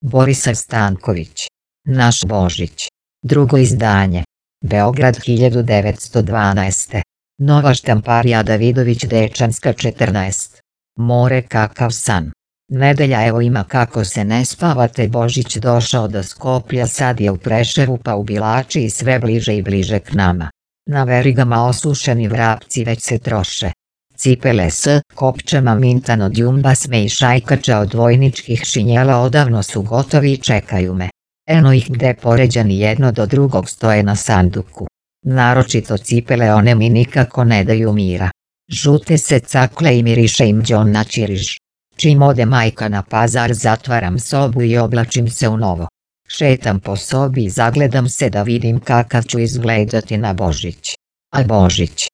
Borisav Stanković. Naš Božić. Drugo izdanje. Beograd 1912. Nova štamparija Davidović Dečanska 14. More kakav san. Nedelja evo ima kako se ne spavate. Božić došao do Skoplja, sad je u Preševu pa u Bilači i sve bliže i bliže k nama. Na verigama osušeni vrapci već se troše. Cipele s kopčama mintan od jumbasme i šajkača od vojničkih šinjela odavno su gotovi i čekaju me. Eno ih gde poređani jedno do drugog stoje na sanduku. Naročito cipele, one mi nikako ne daju mira. Žute se cakle i miriše im đon na ćiriž. Čim ode majka na pazar zatvaram sobu i oblačim se u novo. Šetam po sobi i zagledam se da vidim kakav ću izgledati na Božić. A Božić?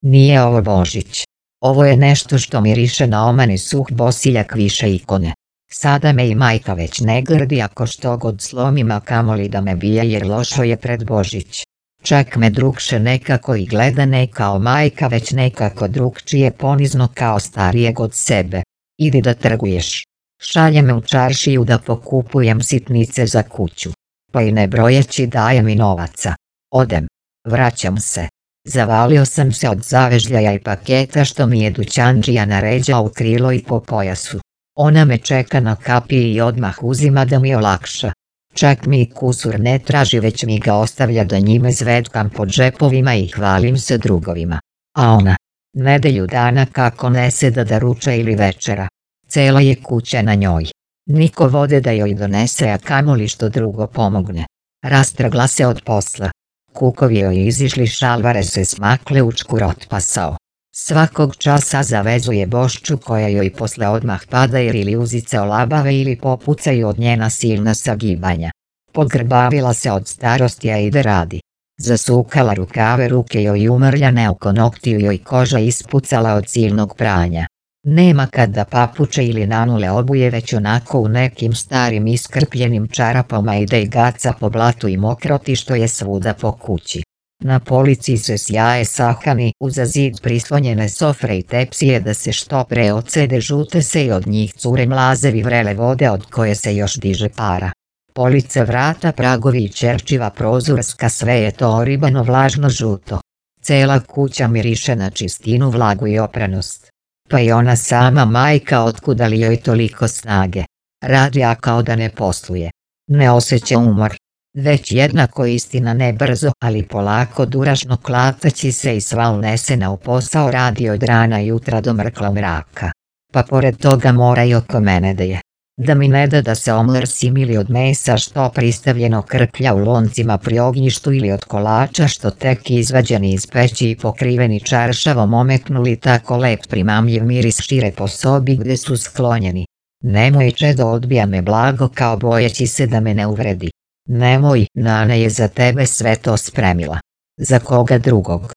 Nije ovo Božić. Ovo je nešto što miriše na omani suh bosiljak više ikone. Sada me i majka već ne grdi ako što god slomim, a kamoli da me bije jer lošo je pred Božić. Čak me drugše nekako i gleda, ne kao majka već nekako drugčije, ponizno kao starijeg od sebe. Idi da trguješ. Šalje me u čaršiju da pokupujem sitnice za kuću. Pa i ne brojeći daje mi novaca. Odem. Vraćam se. Zavalio sam se od zavežljaja i paketa što mi je dućandžija naređao u krilo i po pojasu. Ona me čeka na kapiji i odmah uzima da mi olakša. Čak mi kusur ne traži, već mi ga ostavlja da njime zvetkam po džepovima i hvalim se drugovima. A ona, nedelju dana kako ne seda da ruča ili večera. Cela je kuća na njoj. Niko vode da joj donese, a kamoli što drugo pomogne. Rastrgla se od posla. Kukovi joj izišli, šalvare se smakle, učkur otpasao. Svakog časa zavezuje Bošču koja joj posle odmah pada jer ili uzice olabave ili popucaju od njena silna sagibanja. Podgrbavila se od starosti, a ide radi. Zasukala rukave, ruke joj umrljane, oko noktiju joj koža ispucala od silnog pranja. Nema kad da papuče ili nanule obuje, već onako u nekim starim iskrpljenim čarapama ide i gaca po blatu i mokroti što je svuda po kući. Na polici se sjaje sahani, uza zid prislonjene sofre i tepsije da se što pre ocede, žute se i od njih cure mlazevi vrele vode od koje se još diže para. Police, vrata, pragovi i čerčiva prozorska, sve je to oribano, vlažno, žuto. Cela kuća miriše na čistinu, vlagu i opranost. Pa i ona sama majka, otkuda li joj toliko snage? Radi, a kao da ne posluje. Ne osjeća umor. Već jednako, istina ne brzo, ali polako, duražno, klataći se i sva unesena u posao, radi od rana jutra do mrkla mraka. Pa pored toga mora i oko mene da je. Da mi ne da se omrsim ili od mesa što pristavljeno krplja u loncima pri ognjištu ili od kolača što tek izvađeni iz peći i pokriveni čaršavom omeknuli, tako lep primamljiv miris šire po sobi gde su sklonjeni. Nemoj, čedo, odbija me blago kao bojeći se da me ne uvredi. Nemoj, Nana je za tebe sve to spremila. Za koga drugog?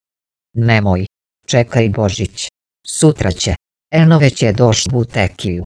Nemoj. Čekaj Božić. Sutra će. Eno već je došao u Tekiju.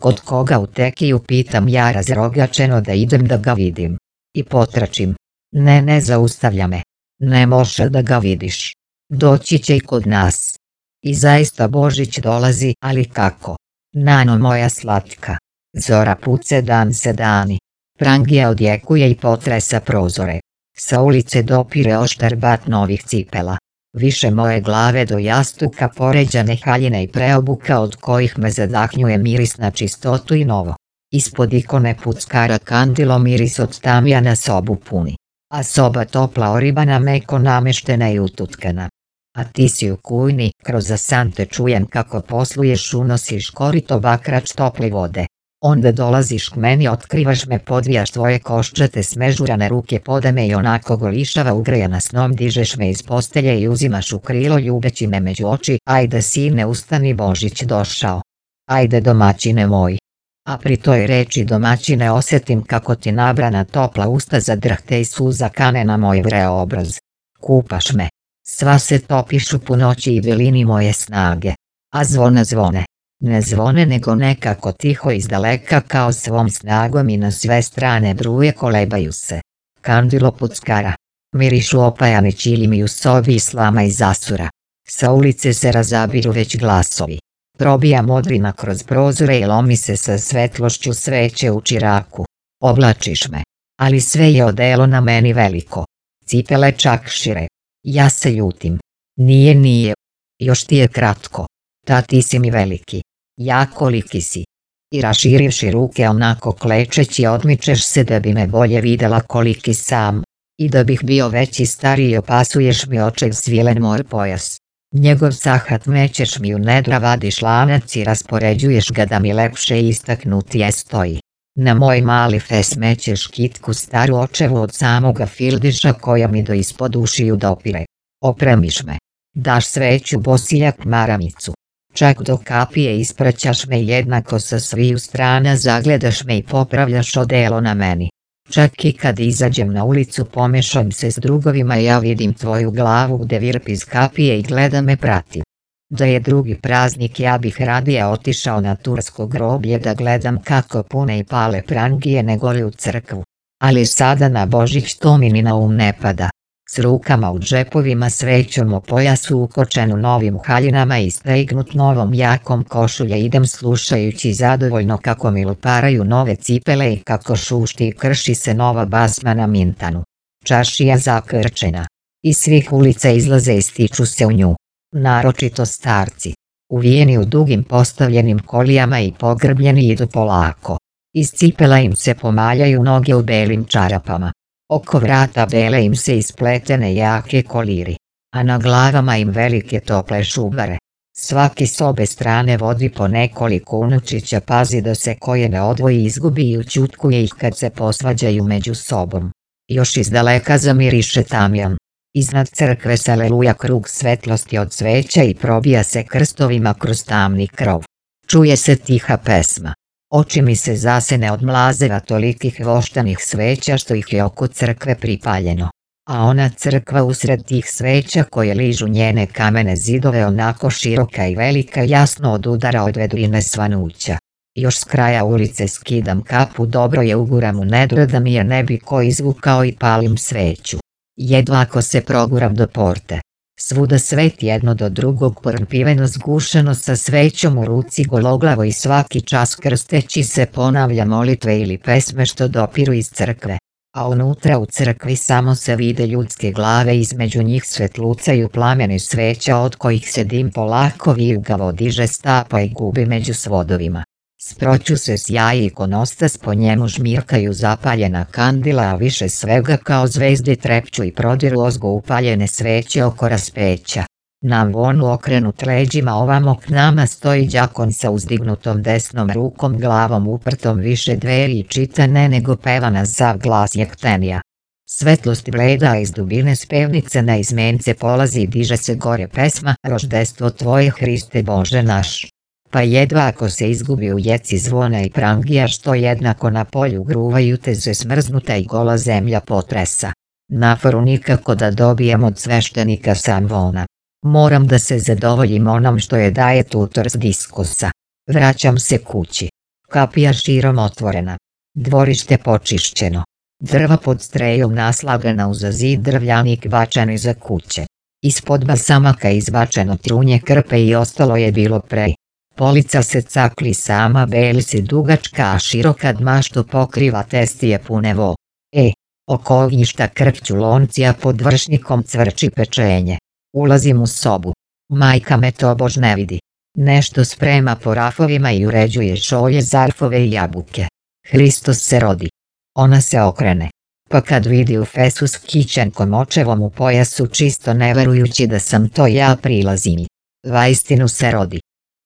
Kod koga u Tekiju, pitam ja razrogačeno, da idem da ga vidim. I potračim. Ne zaustavlja me. Ne može da ga vidiš. Doći će i kod nas. I zaista Božić dolazi, ali kako? Nano moja slatka. Zora puce, dan se dani. Prangija odjekuje i potresa prozore. Sa ulice dopire oštar bat novih cipela. Više moje glave do jastuka poređane haljine i preobuka od kojih me zadahnjuje miris na čistotu i novo. Ispod ikone puckara kandilo miris od tamjana sobu puni. A soba topla, oribana, meko nameštena i ututkana. A ti si u kujni, kroz asante čujem kako posluješ, unosiš korito bakrač tople vode. Onda dolaziš k meni, otkrivaš me, podvijaš tvoje koščate smežurane ruke, poda me i onako golišava ugrejana snom, dižeš me iz postelje i uzimaš u krilo ljubeći me među oči. Ajde sine, ustani, Božić došao. Ajde domaćine moj. A pri toj reči domaćine osetim kako ti nabrana topla usta zadrhte i suza kane na moj vreo obraz. Kupaš me. Sva se topiš u punoći i velini moje snage. A zvone. Ne zvone, nego nekako tiho izdaleka, kao svom snagom i na sve strane bruje, kolebaju se. Kandilo puckara. Mirišu opajani ćilimi u sobi i slama i zasura. Sa ulice se razabiru već glasovi. Probija modrina kroz prozore i lomi se sa svetlošću sveće u čiraku. Oblačiš me, ali sve je odelo na meni veliko. Cipele čak šire. Ja se ljutim. Nije. Još ti je kratko. Ta ti si mi veliki. Ja koliki si. I raširivši ruke onako klečeći odmičeš se da bi me bolje videla koliki sam. I da bih bio veći stariji opasuješ mi očev svilen moj pojas. Njegov sahat mećeš mi u nedra, vadiš lanac i raspoređuješ ga da mi lepše i istaknutije stoji. Na moj mali fes mećeš kitku staru očevu od samoga fildiša koja mi do ispod ušiju dopire. Opremiš me. Daš sveću bosiljak maramicu. Čak do kapije ispraćaš me jednako sa sviju strana, zagledaš me i popravljaš odelo na meni. Čak i kad izađem na ulicu pomešam se s drugovima, ja vidim tvoju glavu gde virpi iz kapije i gleda me prati. Da je drugi praznik ja bih radije otišao na tursko groblje da gledam kako pune i pale prangije nego li u crkvu. Ali sada na Božić to mi ni na um ne pada. S rukama u džepovima, svećom o pojasu ukočenu novim haljinama i stegnut novom jakom košulje idem slušajući zadovoljno kako mi luparaju nove cipele i kako šušti i krši se nova basma na mintanu. Čašija zakrčena. Iz svih ulica izlaze i stiču se u nju. Naročito starci. Uvijeni u dugim postavljenim kolijama i pogrbljeni idu polako. Iz cipela im se pomaljaju noge u belim čarapama. Oko vrata bele im se ispletene jake koliri, a na glavama im velike tople šubare. Svaki s obe strane vodi po nekoliko unučića, pazi da se koje ne odvoji, izgubi i ućutkuje ih kad se posvađaju među sobom. Još izdaleka zamiriše tamjan. Iznad crkve se aleluja krug svetlosti od sveća i probija se krstovima kroz tamni krov. Čuje se tiha pesma. Oči mi se zasene od mlazeva tolikih voštanih sveća što ih je oko crkve pripaljeno. A ona crkva usred tih sveća koje ližu njene kamene zidove onako široka i velika jasno odudara od vedrine svanuća. Još s kraja ulice skidam kapu, dobro je uguram u nedra da mi je ne bi ko izvukao i palim sveću. Jedva ako se proguram do porte. Svuda svet jedno do drugog porpiveno zgušeno sa svećom u ruci gologlavo i svaki čas krsteći se ponavlja molitve ili pesme što dopiru iz crkve. A unutra u crkvi samo se vide ljudske glave, između njih svetlucaju plameni sveća od kojih se dim polako vijugavo diže, stapa i gubi među svodovima. Sproću se sjaji ikonostas, po njemu žmirkaju zapaljena kandila, a više svega kao zvezde trepću i prodiru ozgo upaljene sveće oko raspeća. Na vonu okrenut leđima ovamo k nama stoji đakon sa uzdignutom desnom rukom, glavom uprtom više dveri i čita ne nego peva na sav glas jektenija. Svetlost bleda iz dubine spevnice na izmence polazi i diže se gore pesma Roždestvo tvoje Hriste Bože naš. Pa jedva ako se izgubi u jeci zvona i prangija što jednako na polju gruvaju te se smrznuta i gola zemlja potresa. Naforu nikako da dobijem od sveštenika samvona. Moram da se zadovoljim onom što je daje tutor s diskusa. Vraćam se kući. Kapija širom otvorena. Dvorište počišćeno. Drva pod strejom naslagana uza zid, drvljanik bačen iza kuće. Ispod basamaka izbačeno trunje krpe i ostalo je bilo prej. Polica se cakli sama, beli se dugačka, a široka dma što pokriva testije pune vo. Oko ognjišta krpću lonci, a pod vršnikom cvrči pečenje. Ulazim u sobu. Majka me tobož ne vidi. Nešto sprema po rafovima i uređuje šolje, zarfove i jabuke. Hristos se rodi. Ona se okrene. Pa kad vidi u fesu s kićenkom očevom u pojasu, čisto ne verujući da sam to ja, prilazi mi. Vaistinu se rodi.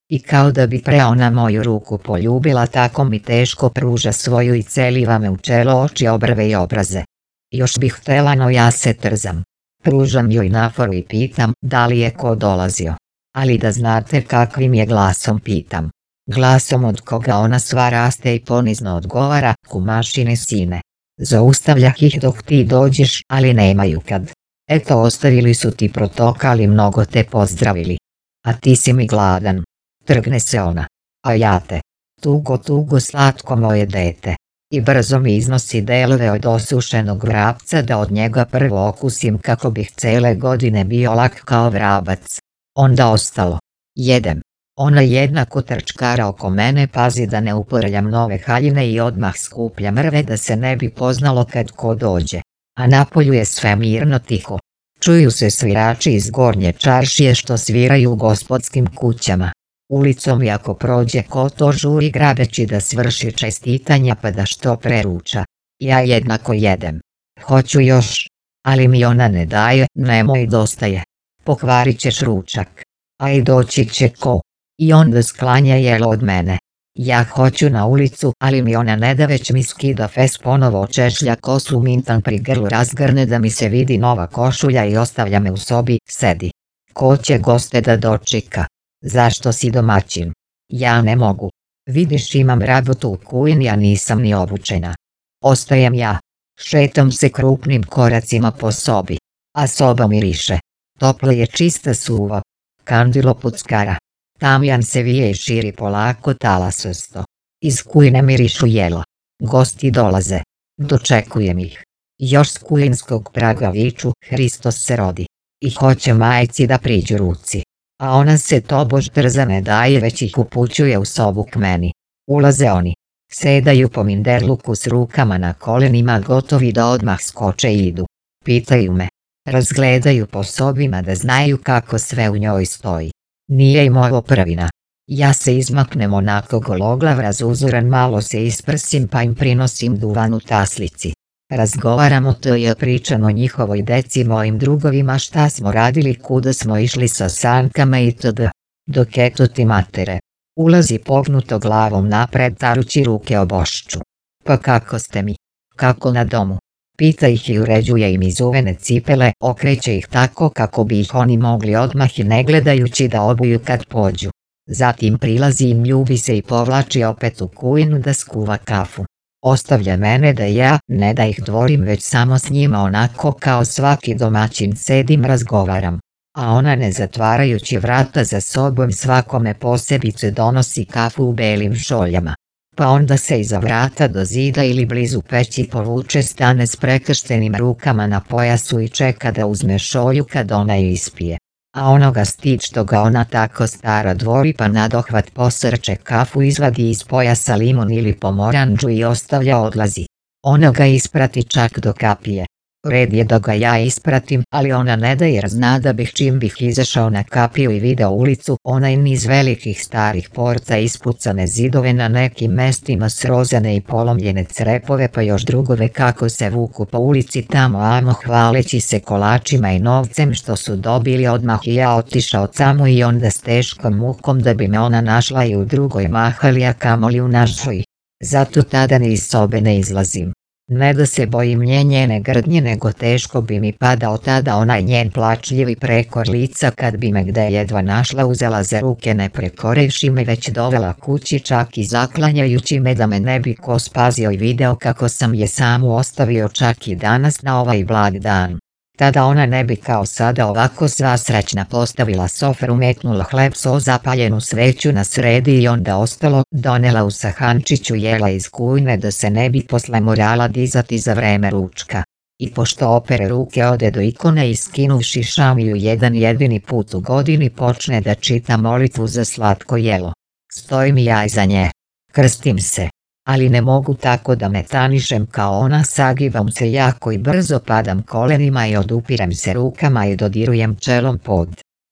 I kao da bi pre ona moju ruku poljubila, tako mi teško pruža svoju i celiva me u čelo, oči, obrve i obraze. Još bih htela, no ja se trzam. Pružam joj naforu i pitam da li je ko dolazio. Ali da znate kakvim je glasom pitam. Glasom od koga ona sva raste i ponizno odgovara, kumašine sine. Zaustavljah ih dok ti dođeš, ali nemaju kad. Eto, ostavili su ti protokali, mnogo te pozdravili. A ti si mi gladan. Trgne se ona. A ja te. Tugo, slatko moje dete. I brzo mi iznosi delove od osušenog vrapca da od njega prvo okusim kako bih cele godine bio lak kao vrabac. Onda ostalo. Jedem. Ona jednako trčkara oko mene, pazi da ne uporljam nove haljine i odmah skuplja mrve da se ne bi poznalo kad ko dođe. A napolju je sve mirno tiho. Čuju se svirači iz Gornje čaršije što sviraju u gospodskim kućama. Ulicom i ako prođe ko to žuri grabeći da svrši čestitanja pa da što preruča. Ja jednako jedem. Hoću još, ali mi ona ne daje, nemoj dosta je. Pokvarit ćeš ručak. A i doći će ko. I onda sklanja jelo od mene. Ja hoću na ulicu, ali mi ona ne da, već mi skida fes, ponovo očešlja kosu, mintan pri grlu razgrne da mi se vidi nova košulja i ostavlja me u sobi, sedi. Ko će goste da dočeka? Zašto si domaćin? Ja ne mogu. Vidiš, imam rabotu u kujni, a nisam ni obučena. Ostajem ja. Šetam se krupnim koracima po sobi. A soba miriše. Toplo je, čista, suva. Kandilo puckara. Tamjan se vije i širi polako talasosto. Iz kujne mirišu jelo. Gosti dolaze. Dočekujem ih. Još s kujinskog praga viču, Hristos se rodi. I hoće majci da priđu ruci. A ona se tobož drza ne daje, već ih upućuje u sobu k meni. Ulaze oni. Sedaju po minderluku s rukama na kolenima, gotovi da odmah skoče i idu. Pitaju me. Razgledaju po sobima da znaju kako sve u njoj stoji. Nije im ovo prvina. Ja se izmaknem onako gologlav, razuzuran, malo se isprsim pa im prinosim duvan u taslici. Razgovaramo, to je pričam o njihovoj deci, mojim drugovima, šta smo radili, kuda smo išli sa sankama itd. Dok eto ti matere. Ulazi pognuto glavom napred, tarući ruke o Bošču. Pa kako ste mi? Kako na domu? Pita ih i uređuje im izuvene cipele, okreće ih tako kako bi ih oni mogli odmah i ne gledajući da obuju kad pođu. Zatim prilazi im, ljubi se i povlači opet u kujnu da skuva kafu. Ostavlja mene da ja, ne da ih dvorim, već samo s njima onako kao svaki domaćin sedim, razgovaram. A ona, ne zatvarajući vrata za sobom, svakome posebice donosi kafu u belim šoljama. Pa onda se iza vrata do zida ili blizu peći povuče, stane s prekrštenim rukama na pojasu i čeka da uzme šolju kad ona ju ispije. A onoga stid što ga ona tako stara dvori, pa nadohvat posrče kafu, izvadi iz pojasa limun ili pomorandžu i ostavlja, odlazi. Ona ga isprati čak do kapije. Red je da ga ja ispratim, ali ona ne da, jer zna da bih čim bih izašao na kapiju i video ulicu, onaj niz velikih starih porta, ispucane zidove, na nekim mestima srozane i polomljene crepove, pa još drugove kako se vuku po ulici tamo amo, hvaleći se kolačima i novcem što su dobili odmah, i ja otišao samo i onda s teškom mukom da bi me ona našla i u drugoj mahali, a kamoli u našoj. Zato tada ni iz sobe ne izlazim. Ne da se bojim njene grdnje, nego teško bi mi padao tada onaj njen plačljivi prekor lica kad bi me gde jedva našla, uzela za ruke, ne prekorevši me, već dovela kući, čak i zaklanjajući me da me ne bi ko spazio i video kako sam je samu ostavio, čak i danas na ovaj blag dan. Tada ona ne bi kao sada ovako sva srećna postavila sofru, metnula hleb, so, zapaljenu sveću na sredi i onda ostalo, donela u sahančiću jela iz kujne da se ne bi posle morala dizati za vreme ručka. I pošto opere ruke, ode do ikone i skinuvši šamiju jedan jedini put u godini počne da čita molitvu za slatko jelo. Stojim i ja iza nje. Krstim se. Ali ne mogu tako da metanišem kao ona, sagibam se jako i brzo, padam kolenima i odupirem se rukama i dodirujem čelom pod.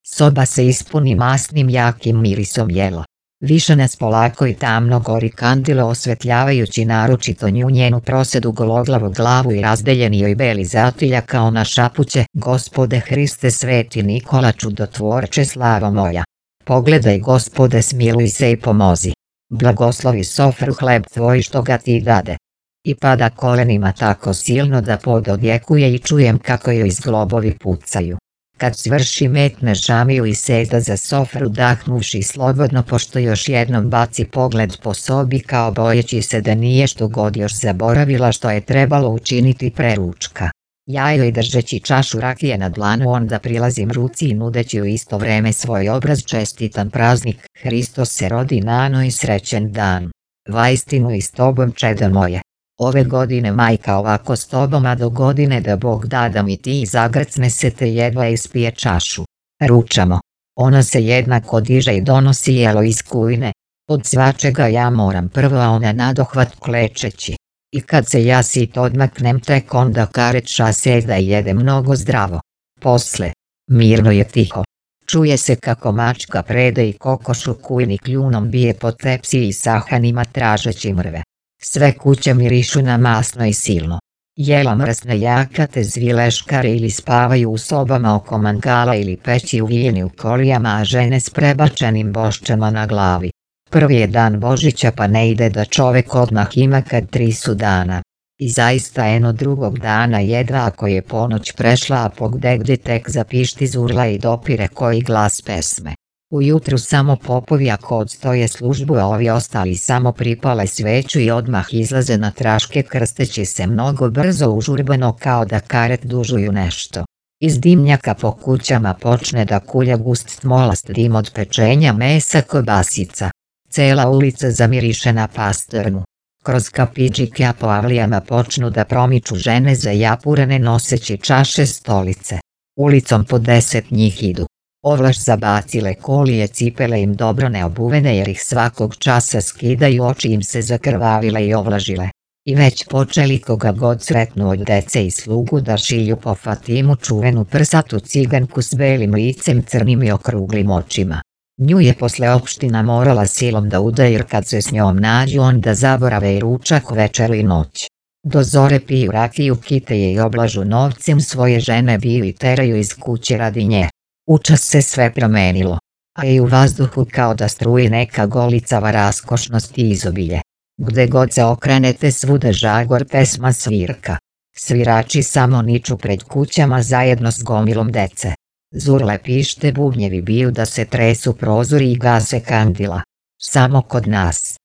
Soba se ispuni masnim jakim mirisom jela. Više nas polako i tamno gori kandilo, osvetljavajući naročito nju, njenu prosedu, gologlavu glavu i razdeljeni joj beli zatiljak, kao ona šapuće: Gospode Hriste, Sveti Nikola, čudotvorče, slava moja. Pogledaj, Gospode, smiluj se i pomozi. Blagoslovi sofru, hleb tvoj što ga ti dade. I pada kolenima tako silno da pod odjekuje i čujem kako joj zglobovi pucaju. Kad svrši, metne šamiju i seda za sofru, dahnuvši slobodno, pošto još jednom baci pogled po sobi kao bojeći se da nije što god još zaboravila što je trebalo učiniti pre ručka. Ja joj, držeći čašu rakije na dlanu, onda prilazim ruci i nudeći u isto vreme svoj obraz: čestitan praznik, Hristos se rodi, nano i srećen dan. Vaistinu i s tobom, čedo moje. Ove godine, majka, ovako s tobom, a do godine da Bog da mi ti zagrcne se te jedva ispije čašu. Ručamo. Ona se jednako diže i donosi jelo iz kujne. Od svačega ja moram prvo, a ona nadohvat klečeći. I kad se ja sit odmaknem, tek onda Kareća seda i jede mnogo zdravo. Posle, mirno je tiho. Čuje se kako mačka Prede i kokoš u kujni kljunom bije po tepsiji i sahanima tražeći mrve. Sve kuće mirišu na masno i silno. Jela mrsne jakate zvileškare ili spavaju u sobama oko mangala ili peći uvijeni u kolijama, a žene s prebačenim boščama na glavi. Prvi je dan Božića, pa ne ide da čovek odmah ima kad 3 su dana. I zaista eno drugog dana jedva ako je ponoć prešla, a pogdegde tek zapišti zurla i dopire koji glas pesme. Ujutru samo popovi ako odstoje službu, a ovi ostali samo pripale sveću i odmah izlaze na traške krsteći se mnogo brzo užurbano kao da karet dužuju nešto. Iz dimnjaka po kućama počne da kulja gust smolast dim od pečenja mesa kobasica. Cela ulica zamiriše na pastrnu. Kroz kafićike po avlijama počnu da promiču žene zajapurene noseći čaše stolice. Ulicom po 10 njih idu. Ovlaš zabacile kolije, cipele im dobro neobuvene jer ih svakog časa skidaju, oči im se zakrvavile i ovlažile. I već počeli koga god sretnu od dece i slugu da šilju po Fatimu, čuvenu prsatu ciganku s belim licem, crnim i okruglim očima. Nju je posle opština morala silom da uda, jer kad se s njom nađu onda zaborave i ručak, večeru i noć. Do zore piju rakiju, kite je i oblažu novcem, svoje žene biju i teraju iz kuće radi nje. Učas se sve promenilo, a i u vazduhu kao da struji neka golicava raskošnost i izobilje. Gde god se okrenete svuda žagor, pesma, svirka. Svirači samo niču pred kućama zajedno s gomilom dece. Zurle pište, bubnjevi biju da se tresu prozori i gase kandila. Samo kod nas.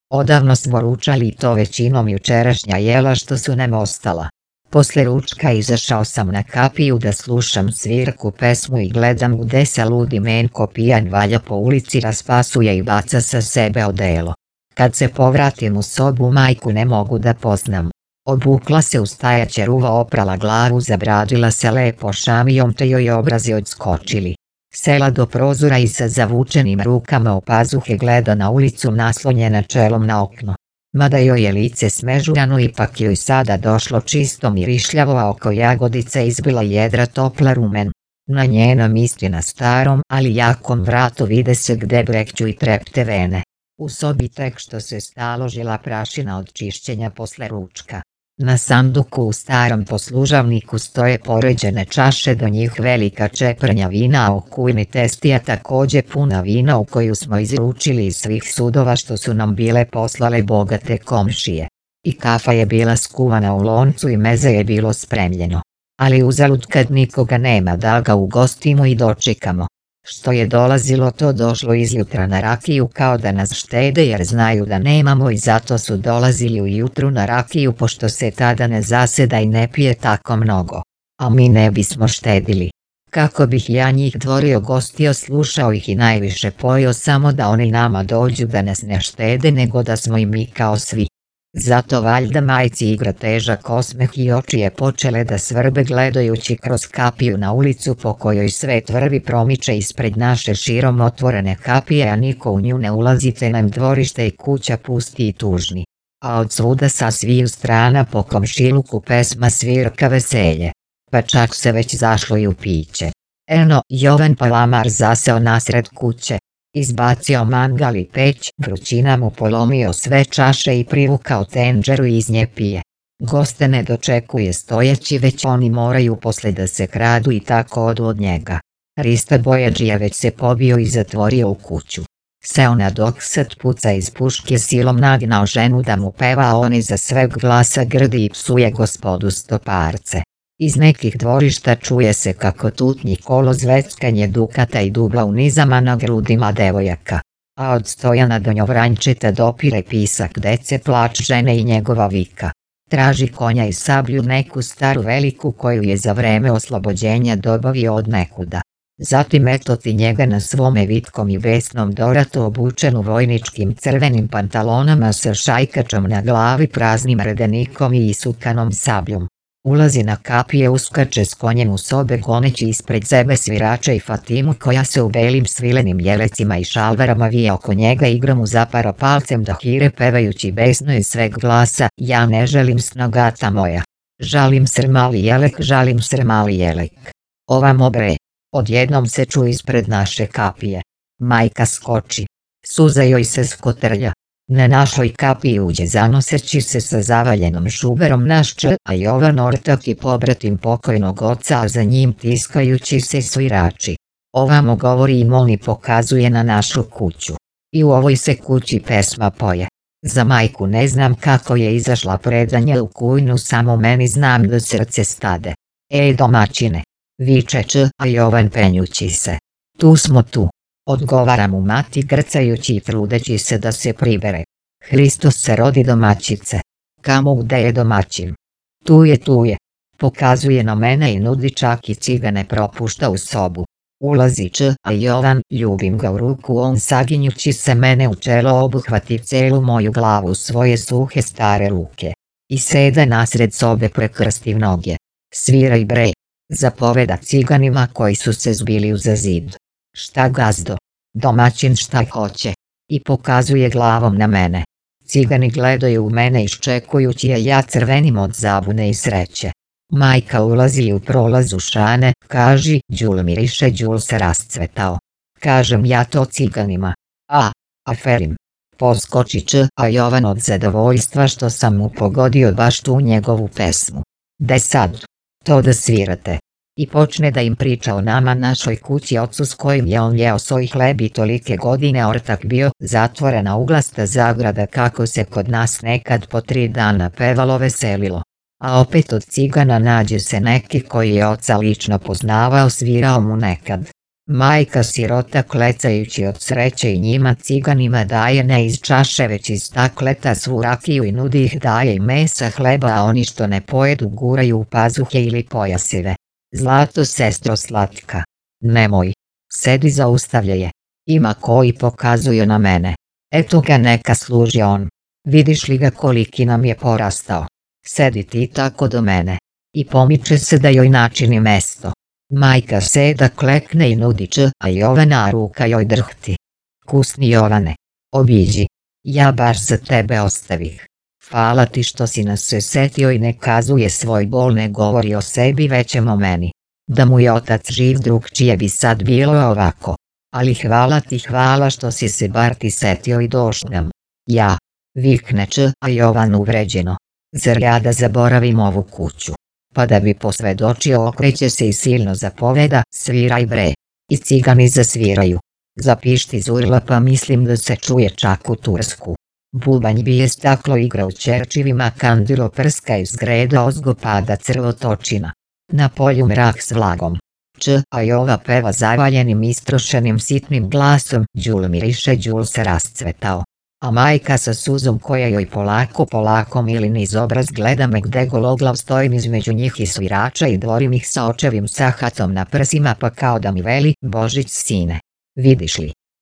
Odavno smo ručali i to većinom jučerašnja jela što su nam ostala. Posle ručka izašao sam na kapiju da slušam svirku, pesmu i gledam gde se ludi Menko pijan valja po ulici, raspasuje i baca sa sebe odelo. Kad se povratim u sobu, majku ne mogu da poznam. Obukla se u stajaće ruva, oprala glavu, zabradila se lepo šamijom te joj obrazi odskočili. Sela do prozora i sa zavučenim rukama u pazuhe gleda na ulicu naslonjena čelom na okno. Mada joj je lice smežurano, ipak joj sada došlo čisto mirišljavo, a oko jagodica izbila jedra topla rumen. Na njenom istina starom, ali jakom vratu vide se gde brekću i trepte vene. U sobi tek što se staložila prašina od čišćenja posle ručka. Na sanduku u starom poslužavniku stoje poređene čaše, do njih velika čeprnja vina, a u kujni testija takođe puna vina u koju smo izručili iz svih sudova što su nam bile poslale bogate komšije. I kafa je bila skuvana u loncu i meze je bilo spremljeno. Ali uzalud kad nikoga nema da ga ugostimo i dočekamo. Što je dolazilo to došlo izjutra na rakiju, kao da nas štede jer znaju da nemamo, i zato su dolazili ujutru na rakiju pošto se tada ne zaseda i ne pije tako mnogo. A mi ne bismo štedili. Kako bih ja njih dvorio gostio, slušao ih i najviše pojio samo da oni nama dođu, da nas ne štede nego da smo i mi kao svi. Zato valjda majci igra težak osmeh i oči je počele da svrbe gledajući kroz kapiju na ulicu po kojoj svet vrvi promiče ispred naše širom otvorene kapije, a niko u nju ne ulazi, te nam dvorište i kuća pusti i tužni. A od svuda sa sviju strana po komšiluku pesma, svirka, veselje. Pa čak se već zašlo i u piće. Eno, Jovan Palamar zaseo nasred kuće. Izbacio mangal i peć, vrućina mu polomio sve čaše i privukao tenđeru i iz nje pije. Goste ne dočekuje stojeći, već oni moraju posle da se kradu i tako odu od njega. Rista Bojađija već se pobio i zatvorio u kuću. Seo na doksat, puca iz puške, silom nagnao ženu da mu peva, a on iza sveg glasa grdi i psuje gospodu Stoparce. Iz nekih dvorišta čuje se kako tutnji kolo, zveckanje dukata i dubla u nizama na grudima devojaka. A od Stojana Donjovranjčeta dopire pisak dece, plač žene i njegova vika. Traži konja i sablju, neku staru veliku koju je za vreme oslobođenja dobavio od nekuda. Zatim etoti njega na svome vitkom i besnom doratu, obučenu vojničkim crvenim pantalonama sa šajkačom na glavi, praznim redenikom i isukanom sabljom. Ulazi na kapije, uskače s konjem u sobe goneći ispred sebe svirača i Fatimu koja se u belim svilenim jelecima i šalvarama vije oko njega, igra mu zapara palcem da hire pevajući besno iz sveg glasa: ja ne želim snagata moja. Žalim se mali jelek, žalim se mali jelek. Ovamo bre. Odjednom se čuje ispred naše kapije. Majka skoči. Suza joj se skotrlja. Na našoj kapiji uđe zanoseći se sa zavaljenom šuberom naš a Jovan ortak i pobratim pokojnog oca, a za njim tiskajući se svirači. Ovamo govori i moli, pokazuje na našu kuću. I u ovoj se kući pesma poje. Za majku ne znam kako je izašla predanje u kujnu, samo meni znam da srce stade. Domaćine, viče a Jovan penjući se. Tu smo tu. Odgovara mu mati grcajući i trudeći se da se pribere. Hristos se rodi domaćice. Kamo gde je domaćin? Tu je. Pokazuje na mene i nudi, čak i cigane propušta u sobu. Ulazi a Jovan, ljubim ga u ruku, on saginjući se mene u čelo obuhvati celu moju glavu svoje suhe stare ruke. I sede nasred sobe, prekrsti noge. Sviraj bre, zapoveda ciganima koji su se zbili uza zid. Šta gazdo? Domaćin šta hoće? I pokazuje glavom na mene. Cigani gledaju u mene iščekujući, a ja crvenim od zabune i sreće. Majka ulazi u prolazu šane, kaži, đul miriše, đul se rascvetao. Kažem ja to ciganima. Aferim. Poskoči a Jovan od zadovoljstva što sam mu pogodio baš tu njegovu pesmu. De sad? To da svirate. I počne da im priča o nama, našoj kući, ocu s kojim je on jeo svoj hleb i tolike godine ortak bio, zatvorena uglasta zagrada, kako se kod nas nekad po 3 dana pevalo, veselilo. A opet od cigana nađe se neki koji je oca lično poznavao, svirao mu nekad. Majka sirota klecajući od sreće i njima ciganima daje ne iz čaše već iz stakleta svu rakiju i nudi ih, daje i mesa, hleba, a oni što ne pojedu guraju u pazuhe ili pojasive. Zlato, sestro slatka. Nemoj. Sedi, zaustavlja je. Ima koji pokazuju na mene. Eto ga, neka služi on. Vidiš li ga koliki nam je porastao? Sedi ti tako do mene. I pomiče se da joj načini mesto. Majka seda, klekne i nudi a Jovana ruka joj drhti. Kusni Jovane. Obiđi. Ja baš za tebe ostavih. Hvala ti što si nas se setio i ne kazuje svoj bol, ne govori o sebi već o meni. Da mu je otac živ, drugčije bi sad bilo ovako. Ali hvala ti, hvala što si se bar ti setio i došao nam. Ja. Vikne a Jovan uvređeno. Zar ja da zaboravim ovu kuću? Pa da bi posvedočio, okreće se i silno zapoveda: sviraj bre. I cigani zasviraju. Zapišti zurla, pa mislim da se čuje čak u Tursku. Bubanj bije, staklo igra u ćerčivima, kandilo prska iz greda, ozgo pada crvotočina. Na polju mrak s vlagom. A Jova peva zavaljenim, istrošenim, sitnim glasom: đul miriše, đul se rascvetao. A majka sa suzom koja joj polako mili niz obraz gleda me gde gologlav stojim između njih i svirača i dvorim ih sa očevim sahatom na prsima, pa kao da mi veli: Božić sine, vidiš li,